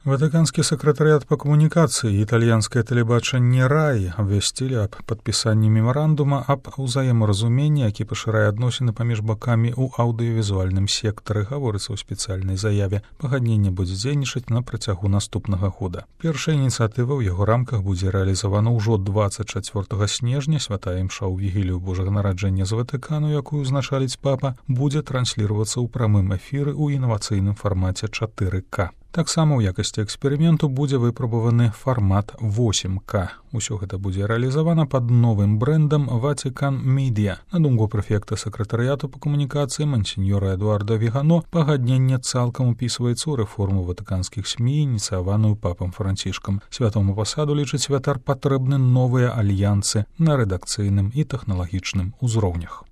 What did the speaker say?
Ватыканскі сакратарыят па камунікацыі і італьянскае тэлебачанне РАІ абвясцілі аб падпісанні мемарандума аб узаемаразуменні, які пашырае адносіны паміж бакамі ў аўдыёвізуальным сектары, гаворыцца ў спецыяльнай заяве. Пагадненне будзе дзейнічаць на працягу наступнага года. Першая ініцыятыва ў яго рамках будзе рэалізавана ўжо 24 снежня. Святая імша ў вігілію Божага нараджэння з Ватыкану, якую узначаліць папа, будзе трансліравацца ў прамым эфіры ў інавацыйным фармаце 4К. Таксама ў якасці эксперыменту будзе выпрабаваны фармат 8К. Усё гэта будзе рэалізавана пад новым брэндам Vatican Media. На думку прэфекта сакратарыяту па камунікацыі мансіньора Эдуарда Вігано, пагадненне цалкам упісваецца ў рэформу ватыканскіх СМІ, ініцыяваную папам Францішкам. Святому пасаду, лічыць святар, патрэбны новыя альянсы на рэдакцыйным і тэхналагічным узроўнях.